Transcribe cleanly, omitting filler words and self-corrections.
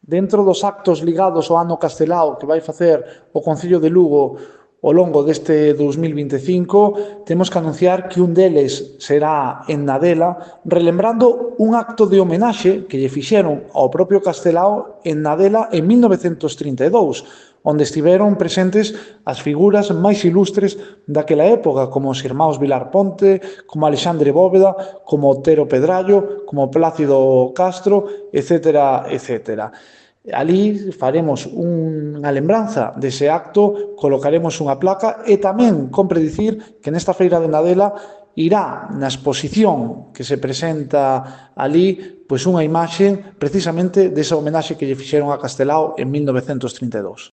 Dentro dos actos ligados ao ano Castelao que vai facer o Concello de Lugo ao longo deste 2025, temos que anunciar que un deles será en Nadela, relembrando un acto de homenaxe que lle fixeron ao propio Castelao en Nadela en 1932, onde estiveron presentes as figuras máis ilustres daquela época, como os irmáns Vilar Ponte, como Alexandre Bóveda, como Otero Pedrallo, como Plácido Castro, etcétera, etcétera. Ali faremos unha lembranza dese acto, colocaremos unha placa e tamén compre dicir que nesta feira de Nadela irá na exposición que se presenta ali pois unha imaxe precisamente desa homenaxe que lle fixeron a Castelao en 1932.